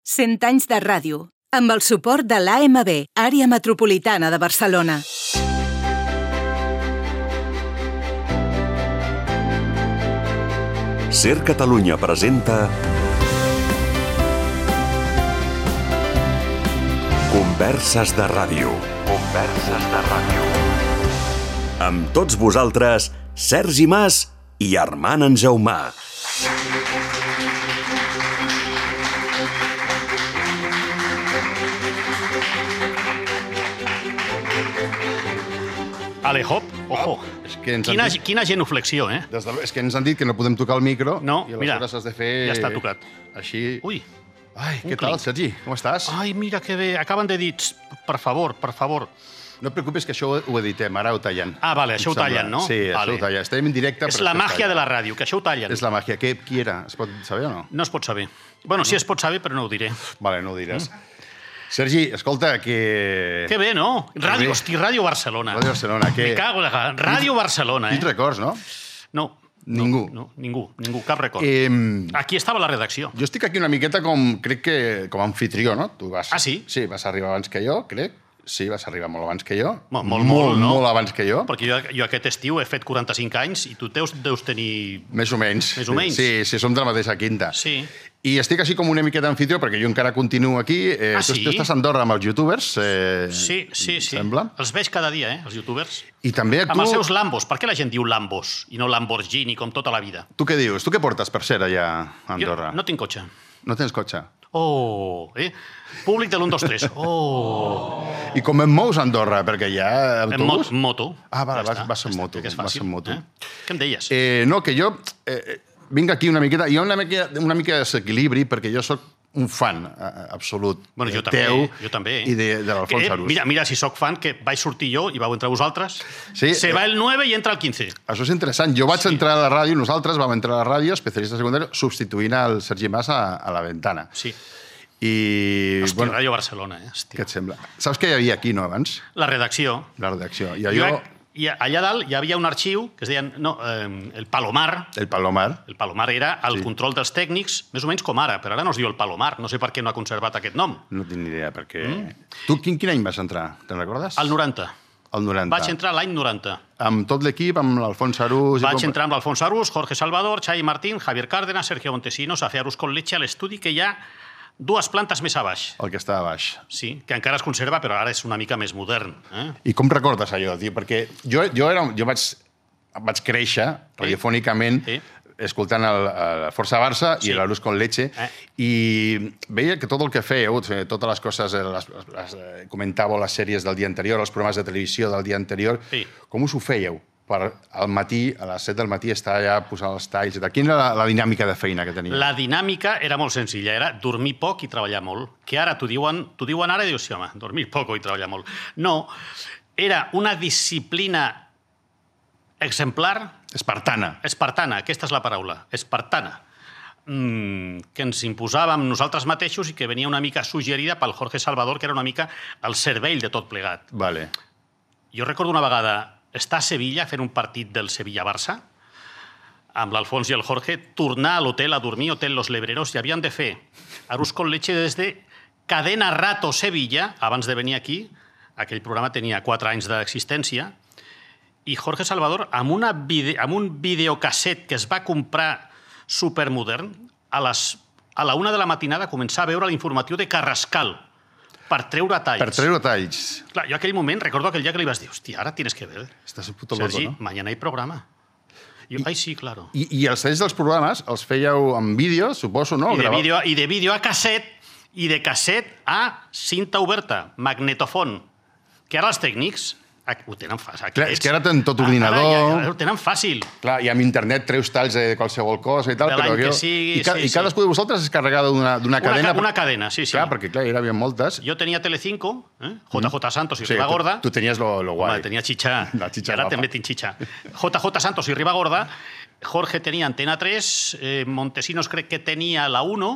100 anys de ràdio, amb el suport de l'AMB, Àrea Metropolitana de Barcelona. Ser Catalunya presenta Converses de ràdio. Converses de ràdio. Amb tots vosaltres, Sergi Mas i Armand Enjaumà. Ale, hop, ojo. Quina genuflexió, eh? És que ens han dit que no podem tocar el micro. No, i mira, aleshores has de fer... ja està tocat. Així... Ui. Ai, què tal, Sergi? Com estàs? Ai, mira que bé. Acaben de dir, per favor. No et preocupis, que això ho editem, ara ho tallen. Ah, vale, això ho tallen, no? Sí, això ho tallen. Estem en directe... És la màgia de la ràdio, que això ho tallen. És la màgia. Qui era? Es pot saber o no? No es pot saber. Bueno, sí es pot saber, però no ho diré. Vale, no ho diràs. Sergi, escolta, que... Que bé, no? Ràdio, hosti, Ràdio Barcelona. Ràdio Barcelona, que... Me cago en la... Ràdio Barcelona, eh? Quins records, no? No. Ningú. No, ningú, cap record. Aquí estava la redacció. Jo estic aquí una miqueta crec que com a anfitrió, no? Tu vas... Ah, sí? Sí, vas arribar abans que jo, crec. Sí, vas arribar molt abans que jo. Molt, no? Molt abans que jo. Perquè jo aquest estiu he fet 45 anys i tu deus tenir... Més o menys. Més o menys. Sí, som de la mateixa quinta. Sí. I estic així com una miqueta anfitrió, perquè jo encara continuo aquí. Sí? Tu estàs a Andorra amb els youtubers, Sí. sembla. Els veig cada dia, els youtubers. I també tu... Amb els seus Lambos. Per què la gent diu Lambos i no Lamborghini, com tota la vida? Tu què dius? Tu què portes, per ser, allà a Andorra? Jo no tinc cotxe. No tens cotxe? Oh, Públic de l'1, 2, 3. Oh. I com et mous a Andorra? Perquè hi ha autobús? En moto. Ah, vale, Ja vas en moto. Que és Vas fàcil. en moto. Què em deies? No, que jo vinc aquí una miqueta... Hi ha una mica de desequilibri, perquè jo sóc un fan absolut jo també. I de l'Alfons Arús. Mira, si sóc fan, que vaig sortir jo i vau entrar vosaltres. Sí, Se va el 9 i entra el 15. Això és interessant. Jo vaig entrar a la ràdio, nosaltres vam entrar a la ràdio, especialista secundari, substituint el Sergi Mas a la Ventana. Sí. I... Hòstia, Ràdio Barcelona, Hòstia. Què et sembla? Saps què hi havia aquí, no, abans? La redacció. La redacció. I allà dalt hi havia un arxiu que es deia el Palomar. El Palomar. El Palomar era el control dels tècnics, més o menys com ara, però ara no es diu el Palomar. No sé per què no ha conservat aquest nom. No tinc ni idea, perquè... Tu quin any vas entrar? Te'n recordes? Al 90. Al 90. Vaig entrar l'any 90. Amb tot l'equip, amb l'Alfons Arús... Vaig entrar amb l'Alfons Arús, Jorge Salvador, Xavi Martín, Javier Cárdenas, Sergio Montesinos, a fer Arús con leche a l'estudi que hi ha 2 plantes més a baix. El que està a baix. Sí, que encara es conserva, però ara és una mica més modern. I com recordes allò, tio? Perquè jo vaig créixer radiofònicament escoltant el Força Barça i l'Arús con leche i veia que tot el que fèieu, totes les coses, comentàveu les sèries del dia anterior, els programes de televisió del dia anterior, com us ho fèieu? Per al matí, a les 7 del matí, estar allà posant els talls i tal. Quina era la dinàmica de feina que tenia? La dinàmica era molt senzilla, era dormir poc i treballar molt. Que ara t'ho diuen ara i dius, sí, home, dormir poc i treballar molt. No, era una disciplina exemplar... Espartana. Espartana, aquesta és la paraula, espartana. Que ens imposàvem nosaltres mateixos i que venia una mica suggerida pel Jorge Salvador, que era una mica el cervell de tot plegat. Vale. Jo recordo una vegada estar a Sevilla fent un partit del Sevilla-Barça, amb l'Alfons i el Jorge, tornar a l'hotel a dormir, Hotel Los Lebreros, i havien de fer Arús con leche des de Cadena Rato Sevilla, abans de venir aquí, aquell programa tenia 4 anys d'existència, i Jorge Salvador, amb un videocasset que es va comprar supermodern, a la 1 de la matinada començar a veure l'informatiu de Carrascal, per treure talls. Per treure talls. Clar, jo aquell moment, recordo aquell dia que li vas dir, hòstia, ara tienes que ver. Estàs puto loco, Sergi, no? mañana hay programa. Jo, ai, sí, claro. I els talls dels programes els fèieu en vídeo, suposo, no? I de vídeo a casset, i de casset a cinta oberta, magnetofon, que ara els tècnics ho tenen fàcil. Clar, és que ara tenen tot ordinador... Ja ho tenen fàcil. Clar, i amb internet treus talls de qualsevol cosa i tal, però... que sigui, I cadascú de vosaltres es carregava d'una cadena... Una cadena, sí. Clar, perquè clar, hi havia moltes. Jo tenia Telecinco, JJ Santos i Ribagorda. Tu tenies lo guai. Home, tenia xitxa. Ara també tinc xitxa. JJ Santos i Ribagorda. Jorge tenia Antena 3, Montesinos crec que tenia la 1,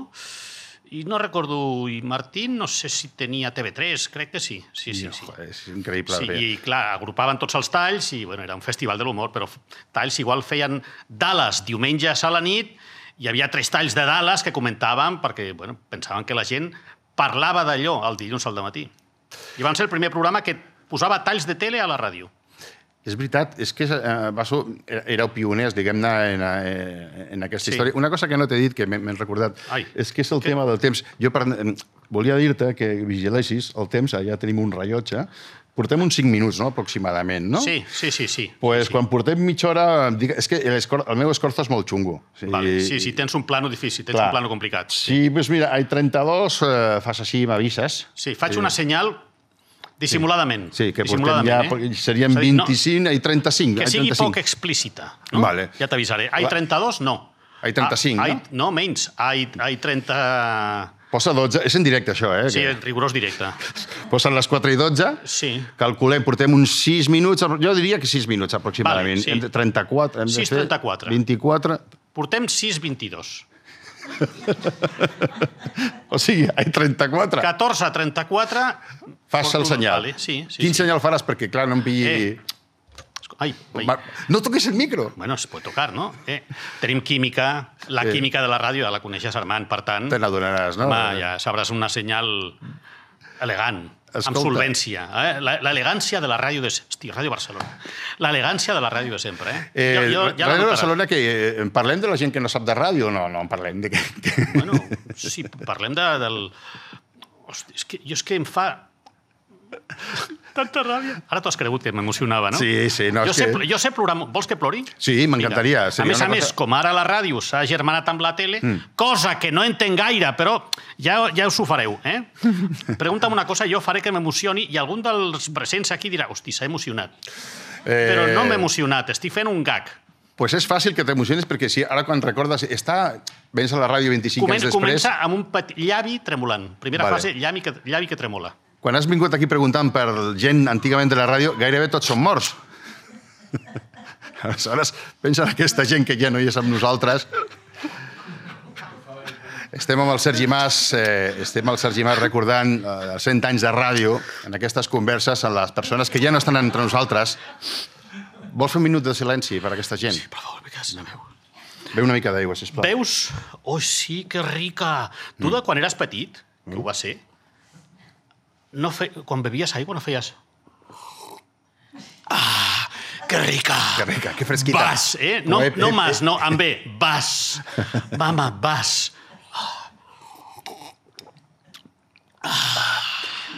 i no recordo, i Martín no sé si tenia TV3, crec que sí. Sí. Joder, és increïble. Sí, i clar, agrupaven tots els talls i bueno, era un festival de l'humor, però talls igual feien Dallas diumenges a la nit hi havia 3 talls de Dallas que comentàvem perquè pensaven que la gent parlava d'allò el dilluns al dematí. I van ser el primer programa que posava talls de tele a la ràdio. És veritat, és que éreu pioners, diguem-ne, en aquesta història. Una cosa que no t'he dit, que m'he recordat, és que és el tema del temps. Jo volia dir-te que vigilessis el temps, allà tenim un rellotge, portem uns 5 minuts, no?, aproximadament, no? Sí. Doncs quan portem mitja hora... És que el meu escorzo és molt xungo. Sí, tens un plano difícil, tens un plano complicat. Sí, doncs mira, hay 32, fas així, m'avises. Sí, faig una senyal dissimuladament. Sí, que portem ja... Serien 25 i 35. Que sigui poc explícita. Ja t'avisaré. Hay 32, no. Hay 35, no? No, menys. Hay 30... Posa 12. És en directe, això, eh? Sí, en rigorós directe. Posen les 4 i 12. Sí. Calculem, portem uns 6 minuts. Jo diria que 6 minuts, aproximadament. 34. 6:34. 24. Portem 6:22. O sigui, hay 34. 14:34. Fas el senyal. Sí. Quin senyal faràs? Perquè, clar, no em pilli... Ai. No toques el micro. Bueno, se pot tocar, no? Tenim química, la química de la ràdio ja la coneixes, Armand, per tant... Te n'adonaràs, no? Ja sabràs una senyal elegant, amb solvència. L'elegància de la ràdio de... Hosti, Ràdio Barcelona. L'elegància de la ràdio de sempre, Ràdio Barcelona, que parlem de la gent que no sap de ràdio? No en parlem. Bueno, sí, parlem del... Hosti, és que em fa... Tanta ràbia. Ara t'ho has cregut que m'emocionava, no? Sí. Jo sé plorar... Vols que plori? Sí, m'encantaria. A més, com ara la ràdio s'ha germanat amb la tele, cosa que no entenc gaire, però ja us ho fareu, eh? Pregunta'm una cosa, jo faré que m'emocioni i algun dels presents aquí dirà, hosti, s'ha emocionat. Però no m'he emocionat, estic fent un gag. Pues és fàcil que t'emocionis perquè si ara quan recordes... Vens a la ràdio 25 anys després... Comença amb un petit llavi tremolant. Primera fase, llavi que tremola. Quan has vingut aquí preguntant per gent antigament de la ràdio, gairebé tots són morts. Aleshores, pensa en aquesta gent que ja no hi és amb nosaltres. Estem amb el Sergi Mas recordant els 100 anys de ràdio en aquestes converses amb les persones que ja no estan entre nosaltres. Vols fer un minut de silenci per a aquesta gent? Sí, per favor, me quedas sin la veu. Beu una mica d'aigua, sisplau. Veus? Oh, sí, que rica. Tu, de quan eres petit, que ho va ser, quan bevies aigua no feies... Ah, que rica. Que rica, que fresquita. Vas, No mas, no, amb B. Vas. Mama, vas.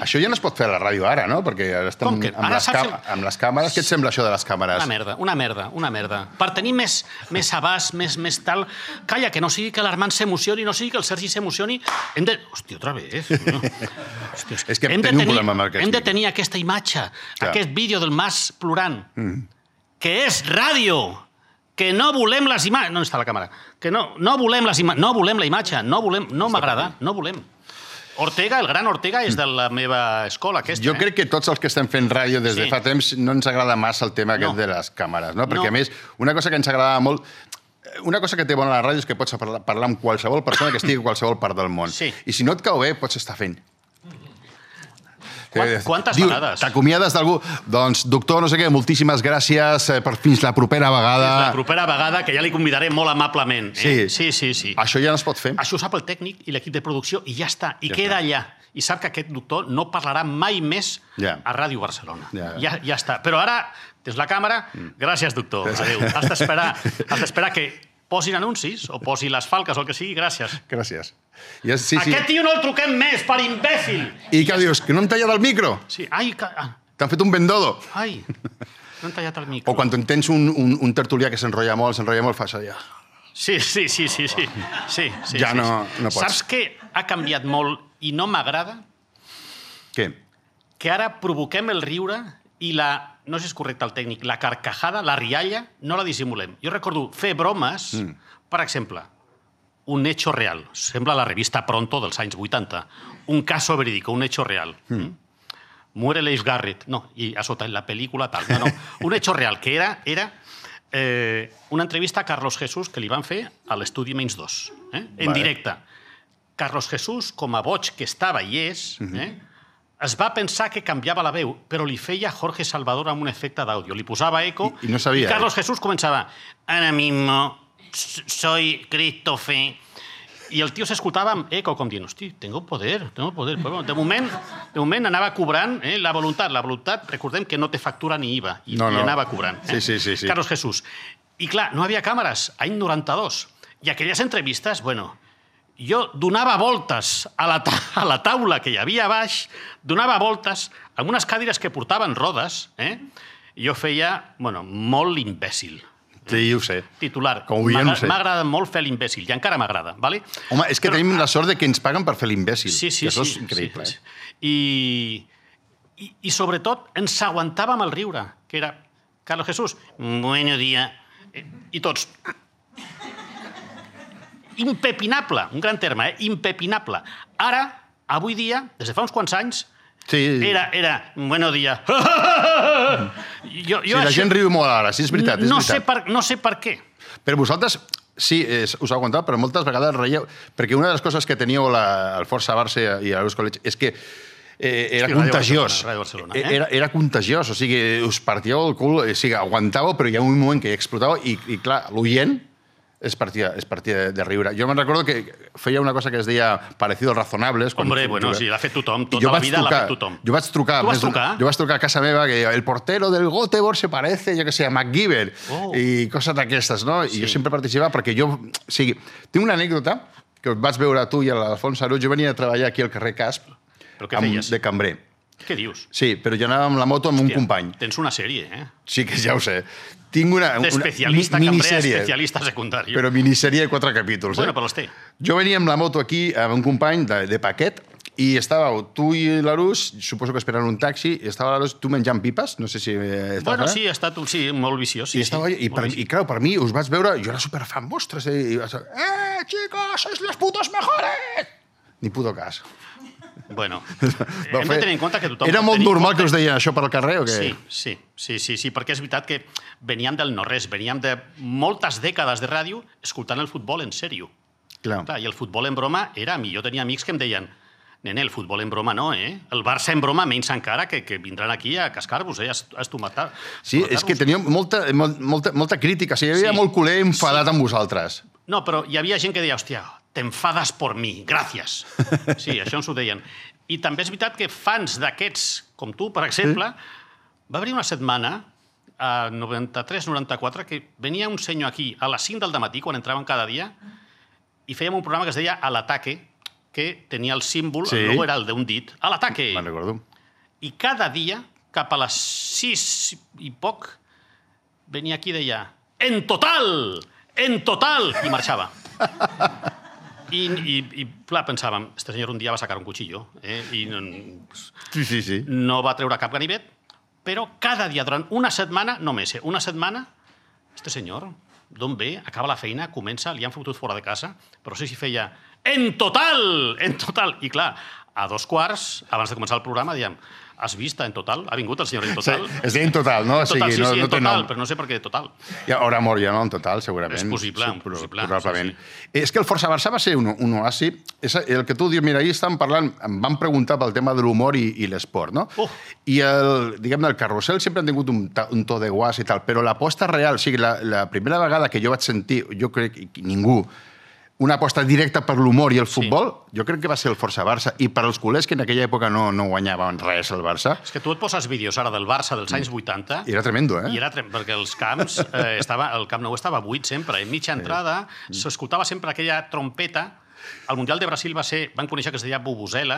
Això ja no es pot fer a la ràdio ara, no? Perquè ara estem amb les càmeres. Què et sembla això de les càmeres? Una merda. Per tenir més abast, més tal... Calla, que no sigui que l'Armand s'emocioni, no sigui que el Sergi s'emocioni. Hòstia, otra vez. És que tenim un problema amb aquest Hem de tenir aquesta imatge, aquest vídeo del Mas plorant, que és ràdio, que no volem les imatges... No està la càmera. Que no volem les imatges, no volem la imatge, no m'agrada, no volem. Ortega, el gran Ortega, és de la meva escola, aquesta. Jo crec que tots els que estem fent ràdio des de fa temps no ens agrada massa el tema aquest de les càmeres, no? Perquè, a més, una cosa que ens agradava molt... Una cosa que té bona la ràdio és que pots parlar amb qualsevol persona que estigui a qualsevol part del món. I si no et cau bé, pots estar fent. Quantes vegades? T'acomiades d'algú? Doncs, doctor, no sé què, moltíssimes gràcies, fins la propera vegada. Fins la propera vegada, que ja li convidaré molt amablement. Sí. Això ja no es pot fer. Això ho sap el tècnic i l'equip de producció i ja està. I queda allà. I sap que aquest doctor no parlarà mai més a Ràdio Barcelona. Ja està. Però ara tens la càmera. Gràcies, doctor. Adéu. Has d'esperar que posin anuncis o posi les falques o el que sigui. Gràcies. Gràcies. Aquest tio no el truquem més, per imbècil! I què dius? Que no hem tallat el micro? Sí. T'han fet un bendodo. Ai, no hem tallat el micro. O quan tens un tertulià que s'enrotlla molt, fas allà. Sí. Ja no pots. Saps que ha canviat molt i no m'agrada? Què? Que ara provoquem el riure i no sé si és correcte el tècnic, la carcajada, la rialla, no la dissimulem. Jo recordo fer bromes, per exemple, un hecho real. Sembla la revista Pronto dels anys 80. Un caso verídico, un hecho real. Muere Leif Garrett. No, i a sota en la pel·lícula tal. No. Un hecho real, que era una entrevista a Carlos Jesús que li van fer a l'estudi Menys 2, en directe. Carlos Jesús, com a boig que estava i és, es va pensar que canviava la veu, però li feia Jorge Salvador amb un efecte d'àudio. Li posava eco i no sabia. I Carlos Jesús començava, ara mismo soy Christopher. I el tio s'escoltava amb eco, com dient, hosti, tengo poder. Però, de moment anava cobrant la voluntat. La voluntat, recordem que no té factura ni IVA, i anava cobrant. Sí. Carlos Jesús. I clar, no hi havia càmeres, any 92. I aquelles entrevistes, jo donava voltes a la taula que hi havia a baix, donava voltes amb unes cadires que portaven rodes, i jo feia, molt l'imbècil. Sí, ho sé. Titular. Com ho veiem, ho sé. M'ha agradat molt fer l'imbècil, i encara m'agrada, ¿vale? Home, és que tenim la sort de que ens paguen per fer l'imbècil. Sí. Això és increïble. I sobretot ens aguantàvem el riure, que era Carlos Jesús, bueno dia, i tots. Impepinable, un gran terme, impepinable. Ara, avui dia, des de fa uns quants anys, era bueno dia. La gent riu molt ara, sí, és veritat. No sé per què. Però vosaltres, sí, us aguantava, però moltes vegades reieu, perquè una de les coses que teníeu al Força Barça i a l'Eusko Lecce és que era contagiós. Era contagiós, o sigui, us partíeu el cul, o sigui, aguantàveu, però hi ha un moment que explotàveu i clar, l'oient es partia de riure. Jo me'n recordo que feia una cosa que es deia parecidos razonables. Hombre, sí, l'ha fet tothom. Tota la vida l'ha fet tothom. Jo vaig trucar. Tu vas trucar? Jo vaig trucar a casa meva que el portero del Göteborg se parece, jo que sé, a MacGyver i coses d'aquestes, no? I jo sempre participava perquè jo... O sigui, tinc una anècdota que vaig veure tu i l'Alfons Arús. Jo venia a treballar aquí al carrer Casp de cambrer. Què dius? Sí, però jo anava amb la moto amb un company. Tens una sèrie, Sí, que ja ho sé. Tinc una d'especialista cambrer a especialista secundari. Però minissèrie de 4 capítols. Bueno, però els té. Jo venia amb la moto aquí amb un company de paquet i estàveu tu i l'Arús, suposo que esperant un taxi, i estava l'Arús, tu menjant pipes, no sé si... Sí, ha estat molt viciós. I clar, per mi us vaig veure, jo era superfan vostres, i vaig dir, chicos, sois los putos mejores! Ni puto cas. Bueno, hem de tenir en compte que tothom... Era molt normal que us deien això per al carrer o què? Sí, perquè és veritat que veníem del no-res, veníem de moltes dècades de ràdio escoltant el futbol en sèrio. Clar, i el futbol en broma era... Jo tenia amics que em deien, nene, el futbol en broma no, El Barça en broma menys encara, que vindran aquí a cascar-vos, a estomatar. Sí, és que teníem molta crítica, hi havia molt culer enfadat amb vosaltres. No, però hi havia gent que deia, hòstia, t'enfades por mi, gràcies. Sí, això ens ho deien. I també és veritat que fans d'aquests, com tu, per exemple, va haver una setmana, a 93-94, que venia un senyor aquí a les 5 del dematí, quan entraven cada dia, i fèiem un programa que es deia A l'ataque, que tenia el símbol, el logo era el d'un dit, A l'ataque. Me'n recordo. I cada dia, cap a les 6 i poc, venia aquí i deia, en total, i marxava. I clar, pensàvem, este senyor un dia va sacar un cuchillo i no va treure cap ganivet, però cada dia, durant una setmana, no més, una setmana, este senyor, d'on ve, acaba la feina, comença, li han fotut fora de casa, però sí si feia en total! I clar, a 2:15, abans de començar el programa, diem, has vist en total? Ha vingut el senyor en total? Sí, és en total, no? Sí, en total, però no sé per què total. Ara mort ja, no? En total, segurament. És possible. Probablement. És que el Força Barça va ser un oasi. El que tu dius, mira, ahir estàvem parlant, em van preguntar pel tema de l'humor i l'esport, no? I el carrusel sempre han tingut un to de guas i tal, però l'aposta real, o sigui, la primera vegada que jo vaig sentir, jo crec que ningú, una aposta directa per l'humor i el futbol, jo crec que va ser el Força Barça. I per als culers que en aquella època no guanyaven res el Barça... És que tu et poses vídeos ara del Barça dels anys 80... I era tremendo, I era perquè els camps, el Camp Nou estava buit sempre. En mitja entrada s'escoltava sempre aquella trompeta. Al Mundial de Brasil van conèixer que es deia Vuvuzela,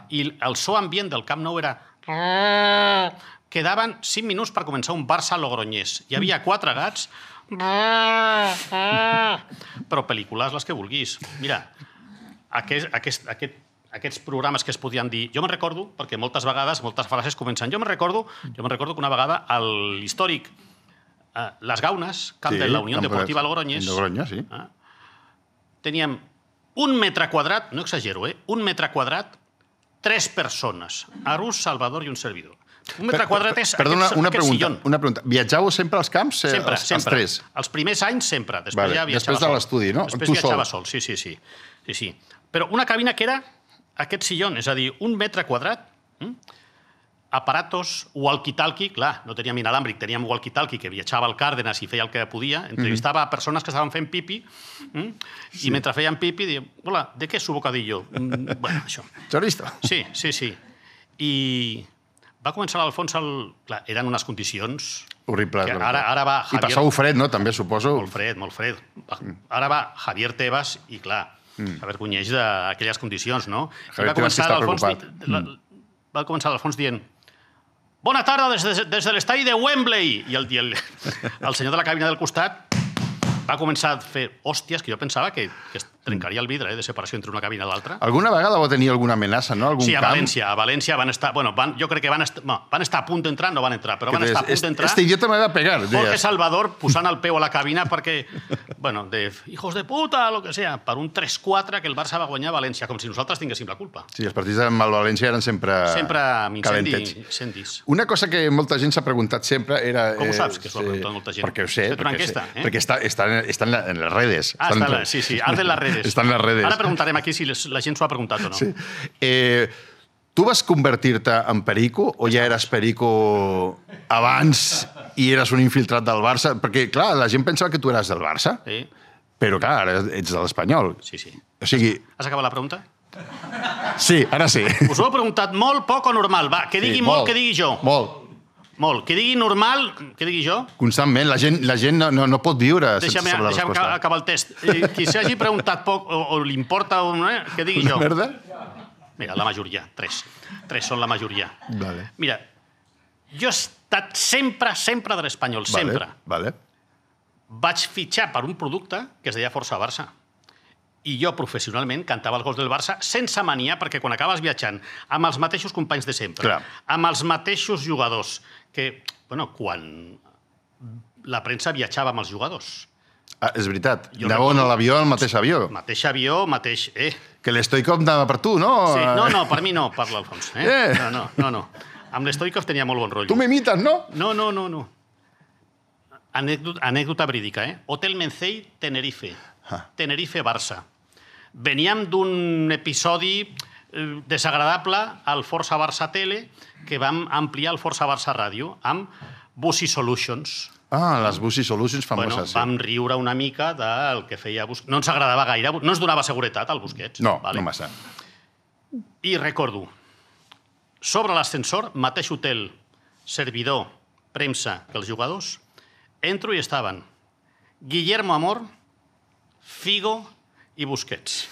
i el so ambient del Camp Nou era... Quedaven 5 minuts per començar un Barça-Logroñés. Hi havia 4 gats... Però pel·lícules les que vulguis. Mira, aquests programes que es podien dir... Jo me'n recordo, perquè moltes vegades, moltes frases comencen... Jo me'n recordo que una vegada a l'històric Les Gaunes, camp de la Unió Deportiva Logroñés, teníem 1 metre quadrat, no exagero, 1 metre quadrat, 3 persones, Arús, Salvador i un servidor. 1 metre quadrat és aquest sillon. Una pregunta. Viatjàveu sempre als camps? Sempre. Els 3? Els primers anys sempre. Després ja viatjava sol. Després de l'estudi, no? Després viatjava sol, sí. Però una cabina que era aquest sillon, és a dir, 1 metre quadrat, aparatos walkie-talkie, clar, no teníem inalàmbric, teníem walkie-talkie que viatjava al Cárdenas i feia el que podia, entrevistava a persones que estaven fent pipi i mentre feien pipi diem, hola, ¿de qué es su bocadillo? Bueno, això. Chorizo. Sí. I va començar l'Alfons Clar, eren unes condicions... Horribles. Ara va Javier... I passau fred, no? També, suposo. Molt fred. Ara va Javier Tebas i, clar, s'avergonyeix d'aquelles condicions, no? Javier Tebas que està preocupat. Va començar l'Alfons dient «Bona tarda des de l'estadi de Wembley!» I el senyor de la cabina del costat va començar a fer hòsties que jo pensava que es trencaria el vidre de separació entre una cabina i l'altra. Alguna vegada va tenir alguna amenaça, no? Sí, a València van estar... Bueno, jo crec que van estar a punt d'entrar, no van entrar, però van estar a punt d'entrar. Este idiota me va a pegar. Jorge Salvador posant el peu a la cabina perquè, bueno, de hijos de puta, lo que sea, per un 3-4 que el Barça va guanyar a València, com si nosaltres tinguéssim la culpa. Sí, els partits amb el València eren sempre amb incendis. Una cosa que molta gent s'ha preguntat sempre era... Com ho saps, que s'ho ha preguntat molta gent? Perquè ho sé. Perquè està en les redes. Sí, arden les redes. Està en les redes. Ara preguntarem aquí si la gent s'ho ha preguntat o no. Sí. Tu vas convertir-te en perico o ja eres perico abans i eres un infiltrat del Barça? Perquè, clar, la gent pensava que tu eres del Barça, però, clar, ara ets de l'Espanyol. Sí. O sigui... Has acabat la pregunta? Sí, ara sí. Us ho he preguntat molt, poc o normal. Va, que digui molt, que digui jo. Molt. Que digui normal, que digui jo. Constantment. La gent no pot viure sense saber la resposta. Deixa'm acabar el test. Qui s'hagi preguntat poc o li importa, que digui jo. Una merda? Mira, la majoria. 3 són la majoria. Vale. Mira, jo he estat sempre de l'Espanyol, sempre. Vale. Vaig fitxar per un producte que es deia Força Barça. I jo, professionalment, cantava els gols del Barça sense mania, perquè quan acabes viatjant amb els mateixos companys de sempre, amb els mateixos jugadors, que, bueno, quan la premsa viatjava amb els jugadors. És veritat. Anàveu a l'avió, al mateix avió. Mateix avió, mateix... Que l'Stoikov anava per tu, no? Sí, no, per mi no, parla Alfons. No. Amb l'Stoikov tenia molt bon rotllo. Tu m'imites, no? No. Anècdota verídica, Hotel Mencey, Tenerife. Tenerife-Barça. Veníem d'un episodi desagradable al Força Barça Tele que vam ampliar al Força Barça Ràdio amb Busy Solutions. Les Busy Solutions famoses. Vam riure una mica del que feia Busquets. No ens agradava gaire, no ens donava seguretat al Busquets. No massa. I recordo, sobre l'ascensor, mateix hotel, servidor, premsa que els jugadors, entro i estaven Guillermo Amor, Figo i Busquets.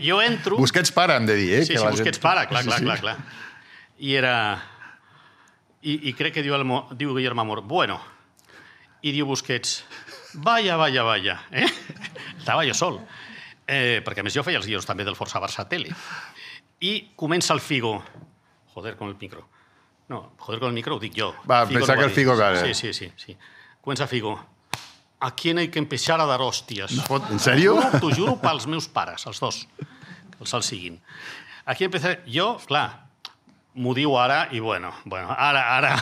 Jo entro... Busquets para, hem de dir, Sí, Busquets para, clar. I era... I crec que diu Guillermo Amor, bueno, i diu Busquets, vaya. Estava jo sol. Perquè, a més, jo feia els guions també del Força Barça Tele. I comença el Figo. Joder, con el micro. No, joder, con el micro ho dic jo. Va, pensar que el Figo... Sí. Comença Figo. A quién hay que empezar a dar hòsties. En sèrio? T'ho juro pels meus pares, els dos, que els siguin. Aquí empezar... Jo, clar, m'ho diu ara i bueno, ara...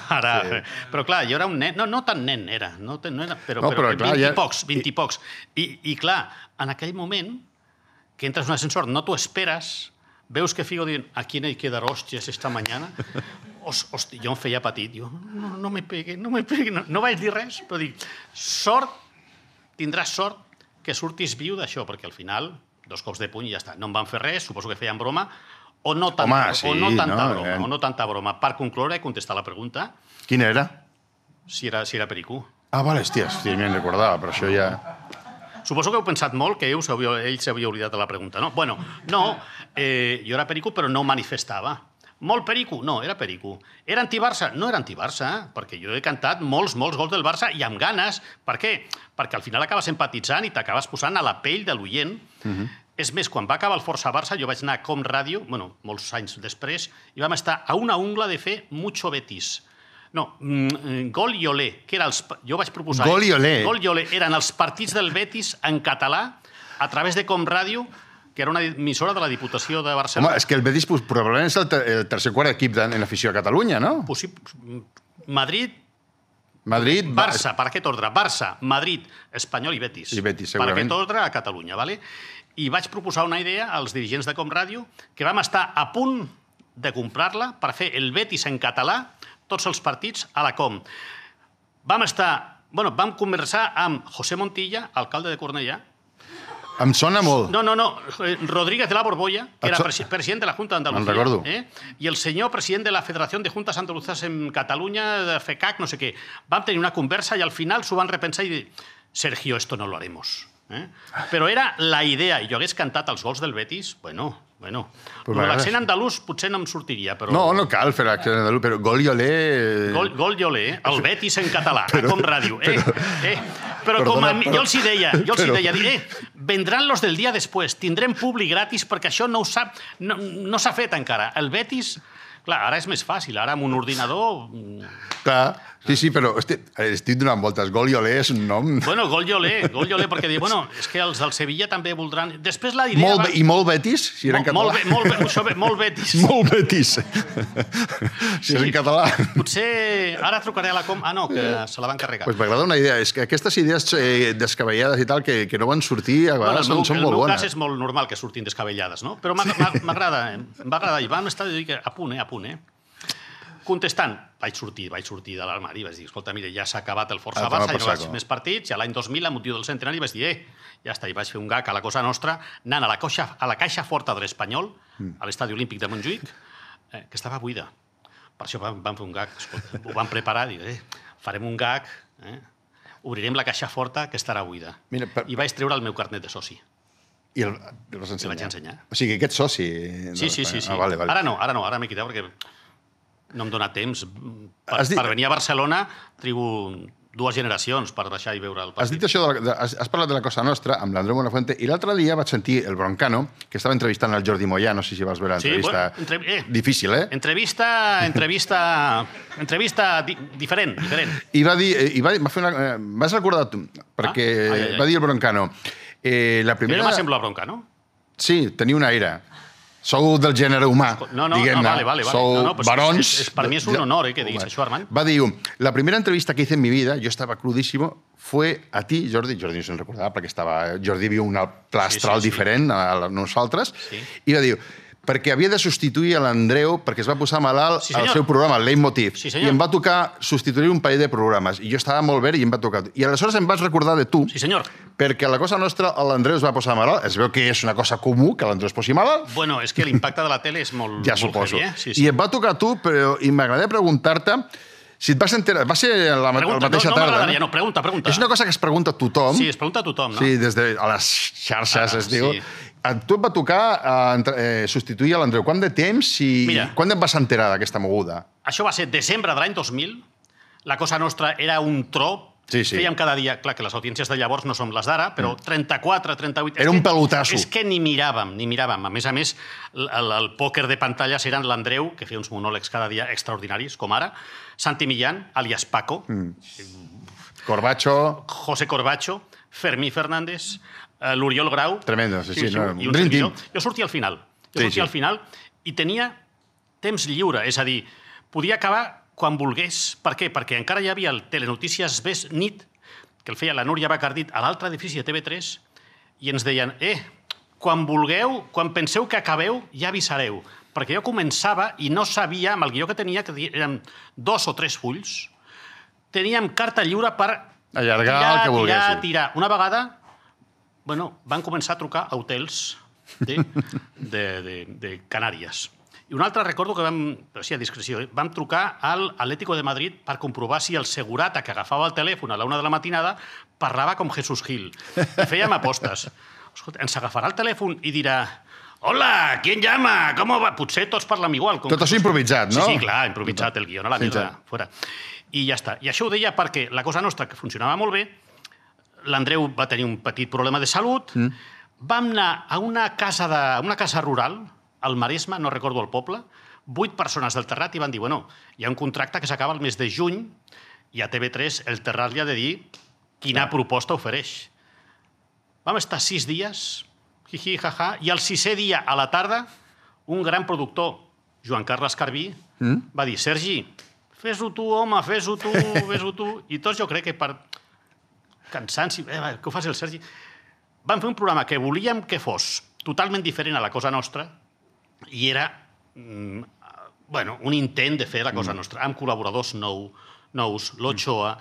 Sí. Però clar, jo era un nen, no tan nen era, però 20 i pocs. I clar, en aquell moment, que entres en un ascensor, no t'ho esperes, veus que Figo diuen, ¿a quién hay que dar hòsties esta mañana? Hosti, jo em feia petit, no me pegue, no vaig dir res, però dic, tindràs sort que surtis viu d'això, perquè al final, 2 cops de puny i ja està. No em van fer res, suposo que feien broma, o no tanta broma. Per concloure i contestar la pregunta... Quina era? Si era Pericú. Vale, hòstia, me'n recordava, però això ja... Suposo que heu pensat molt que ell s'havia oblidat de la pregunta, no? Bueno, no, jo era Pericú, però no ho manifestava. Molt perico? No, era perico. Era anti-Barça? No era anti-Barça, perquè jo he cantat molts gols del Barça i amb ganes. Per què? Perquè al final acabes empatitzant i t'acabes posant a la pell de l'oient. És més, quan va acabar el Força Barça, jo vaig anar a Com Ràdio, molts anys després, i vam estar a una ungla de fer Mucho Betis. No, Gol i Olé, que era jo vaig proposar... Gol i Olé. Gol i Olé eren els partits del Betis en català a través de Com Ràdio, que era una emissora de la Diputació de Barcelona. Home, és que el Betis probablement és el tercer quart equip en afició a Catalunya, no? Madrid, Barça, per aquest ordre? Barça, Madrid, Espanyol i Betis. I Betis, segurament. Per aquest ordre a Catalunya, vale? I vaig proposar una idea als dirigents de Com Ràdio que vam estar a punt de comprar-la per fer el Betis en català, tots els partits a la Com. Vam conversar amb José Montilla, alcalde de Cornellà. Em sona molt. No. Rodríguez de la Borbolla, que era president de la Junta d'Andalucía. Me'n recordo. I el senyor president de la Federació de Juntes Andaluzas en Catalunya, de FECAC, no sé què. Vam tenir una conversa i al final s'ho van repensar i dir, Sergio, esto no lo haremos. Però era la idea, i jo hagués cantat els gols del Betis, bueno, l'accent andalús potser no em sortiria, però... No cal fer l'accent andalús, però gol i olé... Gol i olé, el Betis en català, a Com Ràdio. Però com a mi, jo els hi deia, vendran los del dia després, tindrem públic gratis perquè això no s'ha fet encara. El Betis... Clar, ara és més fàcil, ara amb un ordinador... Clar, sí, però estic donant voltes. Gol i olé és un nom... Bueno, gol i olé, perquè diu, és que els del Sevilla també voldran... Després la idea... I molt Betis, si era en català. Molt Betis. Molt Betis. Si és en català. Potser ara trucaré a la Com... Ah, no, que se la van carregar. Doncs m'agrada una idea. És que aquestes idees descabellades i tal, que no van sortir, a vegades són molt bones. En el meu cas és molt normal que surtin descabellades, no? Però m'agrada, em va agradar. I vam estar a punt. Contestant, vaig sortir de l'armari i vaig dir, escolta, mira, ja s'ha acabat el Força Barça, ja no vaig més partits, i l'any 2000, a motiu del centenari, vaig dir, ja està, i vaig fer un gag a la Cosa Nostra, anant a la caixa forta de l'Espanyol, a l'Estadi Olímpic de Montjuïc, que estava buida. Per això vam fer un gag, escolta, ho vam preparar, farem un gag, obrirem la caixa forta, que estarà buida. I vaig treure el meu carnet de soci. I el vas ensenyar? El vaig ensenyar. O sigui, aquest soci... Sí. Vale. Ara m'he quitat perquè no em dóna temps. Per venir a Barcelona trigo 2 generacions per baixar i veure el partit. Has dit això, has parlat de la Cosa Nostra amb l'Andreu Buenafuente i l'altre dia vaig sentir el Broncano, que estava entrevistant el Jordi Moyà, no sé si vas veure l'entrevista. Difícil, Entrevista diferent. I va dir... Vas recordar tu, perquè va dir el Broncano... Jo m'assemblo a Broncano? Sí, tenia un aire. Sou del gènere humà, diguem-ne. Vale. Sou barons... Per mi és un honor que diguis això, Armand. Va dir, la primera entrevista que hice en mi vida, yo estaba crudísimo, fue a ti, Jordi. Jordi no se'n recordava, perquè Jordi viu un pla astral diferent a nosaltres, i va dir, perquè havia de substituir l'Andreu perquè es va posar malalt al seu programa, el Leitmotiv, i em va tocar substituir un parell de programes. I jo estava molt bé i em va tocar. I aleshores em vaig recordar de tu, perquè a la Cosa Nostra l'Andreu es va posar malalt. Es veu que és una cosa comú que l'Andreu es posi malalt. Bueno, és que l'impacte de la tele és molt ja suposo. I em va tocar tu, però m'agradaria preguntar-te si et vas enterar... Va ser la mateixa tarda. No, pregunta. És una cosa que es pregunta a tothom. Sí, es pregunta a tothom, no? Sí, des de les xarxes es diu. A tu et va tocar substituir l'Andreu. Quant de temps i quan et vas enterar d'aquesta moguda? Això va ser desembre de l'any 2000. La Cosa Nostra era un tro. Fèiem cada dia... Clar, que les audiències de llavors no són les d'ara, però 34, 38... Era un pelotasso. És que ni miràvem. A més, el pòquer de pantalles eren l'Andreu, que feia uns monòlegs cada dia extraordinaris, com ara, Santi Millán, alias Paco, Corbacho, José Corbacho, Fermí Fernández, l'Oriol Grau... Tremendo, sí. Jo sortia al final. I tenia temps lliure, és a dir, podia acabar quan volgués. Per què? Perquè encara hi havia el Telenotícies nit, que el feia la Núria Bacardit a l'altre edifici de TV3, i ens deien, quan vulgueu, quan penseu que acabeu, ja avisareu. Perquè jo començava i no sabia, amb el guió que tenia, que eren 2 o 3 fulls, teníem carta lliure per tirar. Una vegada, van començar a trucar a hotels de Canàries. I un altre recordo que vam trucar al Atlético de Madrid per comprovar si el segurata que agafava el telèfon a la 1 de la matinada parlava com Jesús Gil. I fèiem apostes. Escolta, ens agafarà el telèfon i dirà «Hola, ¿quién llama? ¿Cómo va?» Potser tots parlem igual. Tot això improvisat, no? Sí, clar, improvisat, el guió, no la mierda, fora. I ja està. I això ho deia perquè la Cosa Nostra, que funcionava molt bé, l'Andreu va tenir un petit problema de salut, vam anar a una casa rural, al Maresme, no recordo el poble, 8 persones del Terrat i van dir, hi ha un contracte que s'acaba el mes de juny i a TV3 el Terrat li ha de dir quina proposta ofereix. Vam estar 6 dies, jiji, jaja, i el 6è dia a la tarda un gran productor, Joan Carles Carbí, va dir, Sergi, fes-ho tu, home, fes-ho tu. I tots jo crec que per cansanci, que ho faci el Sergi, vam fer un programa que volíem que fos totalment diferent a la Cosa Nostra, i era un intent de fer la cosa nostra, amb col·laboradors nous, l'Ochoa,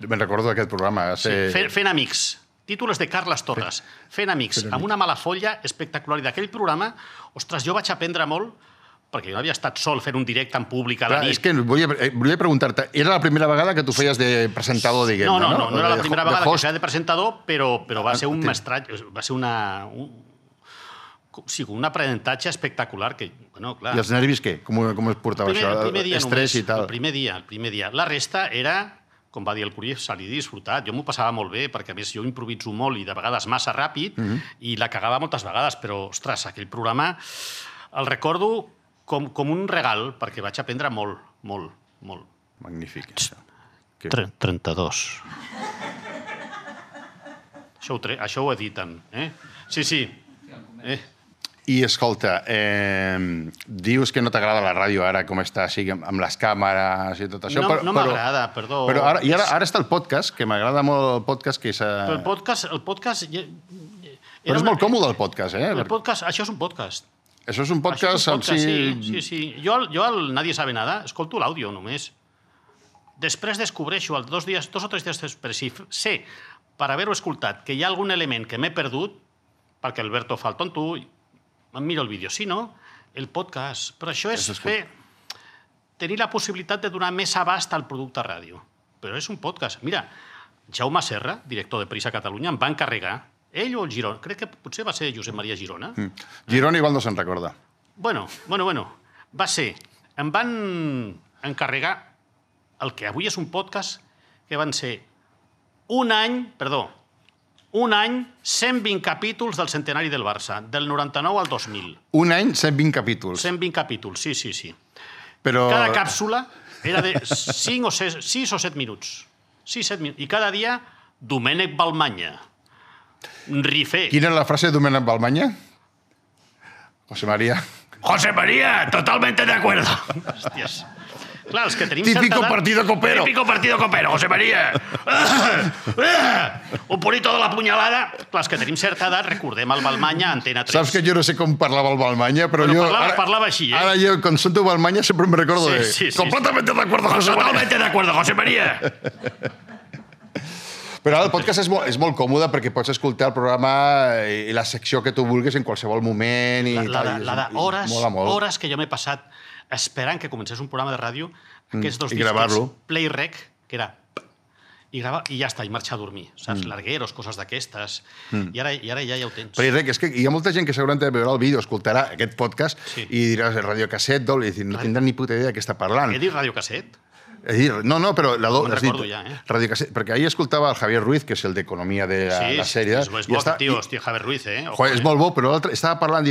Me'n recordo d'aquest programa. Fent amics, títols de Carles Torres, Fent amics, amb una mala folla espectacular. I d'aquell programa, ostres, jo vaig aprendre molt, perquè jo no havia estat sol fent un directe en públic a la nit. És que volia preguntar-te, era la primera vegada que tu feies de presentador, diguem-ne, no? No era la primera vegada que feia de presentador, però va ser un mestratge, va ser un aprenentatge espectacular. I els nervis què? Com es portava això? El primer dia Estrès i tal? El primer dia. La resta era, com va dir el Curie, salir disfrutat. Jo m'ho passava molt bé, perquè a més jo improviso molt i de vegades massa ràpid, i la cagava moltes vegades, però, ostres, aquell programa el recordo com un regal, perquè vaig aprendre molt. Magnífic. 32. Això ho editen, Sí. I, escolta, dius que no t'agrada la ràdio ara, com està, amb les càmeres i tot això. No m'agrada, perdó. Però ara està el podcast, que m'agrada molt el podcast. Però el podcast... Però és molt còmode el podcast, El podcast, això és un podcast. Això és un podcast... Sí. Jo al Nadie sabe nada escolto l'àudio només. Després descobreixo, 2 o 3 dies després, si sé, per haver-ho escoltat, que hi ha algun element que m'he perdut, perquè Alberto fa el tonto, em miro el vídeo. Si no, el podcast. Però això és tenir la possibilitat de donar més abast al producte ràdio. Però és un podcast. Mira, Jaume Serra, director de Prisa Catalunya, em va encarregar, ell o el Girona, crec que potser va ser Josep Maria Girona. Girona igual no se'n recorda. Bueno, va ser... Em van encarregar el que avui és un podcast, que van ser un any, 120 capítols del centenari del Barça, del 99 al 2000. Un any, 120 capítols. 120 capítols, sí. Però... Cada càpsula era de 6 o 7 minuts. 6-7 minuts. I cada dia, Domènec Balmanya. Rifé. Quina és la frase de Domènec Balmanya? José María, totalmente de acuerdo. Hòsties. Clar, els que tenim Típico partido copero, José María. Un bonito de la punyalada. Clar, els que tenim certa edat, recordem el Balmanya, Antena 3. Saps que jo no sé com parlava el Balmanya, però jo... Parlava així, Ara jo, quan sento Balmanya, sempre me recordo de... Completamente de acuerdo, José María. Totalmente de acuerdo, José María. Però ara el podcast és molt còmode perquè pots escoltar el programa i la secció que tu vulguis en qualsevol moment i tal. La d'hores que jo m'he passat esperant que comencés un programa de ràdio, aquests 2 discos, Play Rec, que era... I ja està, i marxar a dormir. Saps? Largueros, coses d'aquestes. I ara ja ho tens. Play Rec, és que hi ha molta gent que segurament veurà el vídeo, escoltarà aquest podcast i diràs radiocasset, i no tindran ni puta idea de què està parlant. He dit radiocasset? No, però... Me'n recordo ja, Radiocasset, perquè ahir escoltava el Javier Ruiz, que és el d'Economia de la sèrie. Sí, és bo, tio, hòstia, Javier Ruiz, És molt bo, però l'altre estava parlant,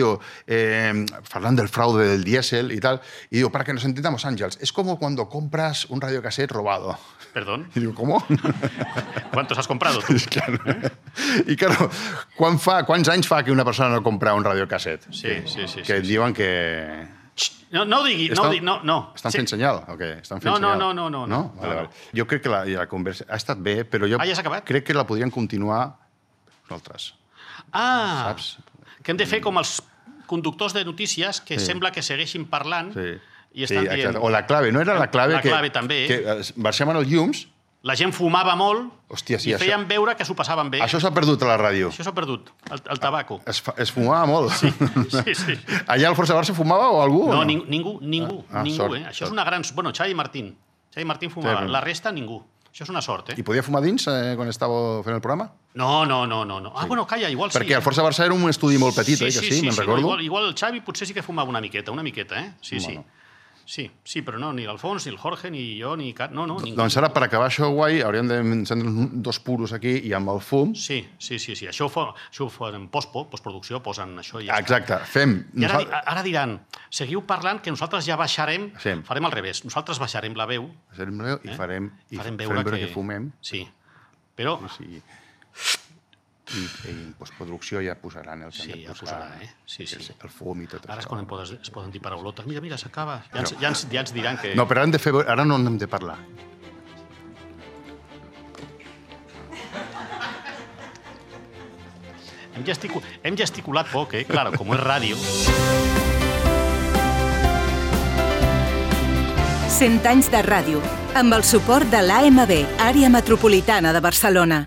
parlant del fraude del diésel y tal, y digo, para que nos entendamos, Ángels, es como cuando compras un radiocassette robado. ¿Perdón? Y digo, ¿cómo? ¿Cuántos has comprado tú? Claro. I, claro, quants anys fa que una persona no compra un radiocassette? Sí. Que diuen que... No ho digui, no. Estan fent senyal? O què? No. Vale. Jo crec que la conversa ha estat bé, però jo ja s'ha acabat? crec que la podríem continuar nosaltres. Saps? Que hem de fer com els conductors de notícies que sembla que segueixin parlant i estan dient... O la clave, no era la clave que... La clave també. Que baixaven els llums... La gent fumava molt i feien veure que s'ho passaven bé. Això s'ha perdut a la ràdio. Això s'ha perdut, el tabaco. Es fumava molt. Sí. Allà al Força Barça fumava o algú? No, ningú. Això és una gran... Bueno, Xavi Martín fumava. La resta, ningú. Això és una sort, I podia fumar dins quan estava fent el programa? No. Bueno, calla, igual sí. Perquè el Força Barça era un estudi molt petit, que sí, me'n recordo. Igual el Xavi potser sí que fumava una miqueta, Sí. Sí, però no, ni l'Alfons, ni el Jorge, ni jo, ni cap... No, ningú. Doncs ara, per acabar això guai, hauríem d'encendre 2 puros aquí i amb el fum... Sí. Això ho fan en postproducció, posen això i ja Exacte, fem... I ara diran, seguiu parlant que nosaltres ja baixarem, farem al revés. Nosaltres baixarem la veu... I farem veure que fumem. Sí, però... I en postproducció ja posaran el que hem de posar. Sí. El fum i tot això. Ara és quan es poden dir paraulotes. Mira, s'acaba. Ja ens diran que... No, però ara no hem de parlar. Hem gesticulat poc, Claro, com és ràdio... 100 anys de ràdio, amb el suport de l'AMB, Àrea Metropolitana de Barcelona.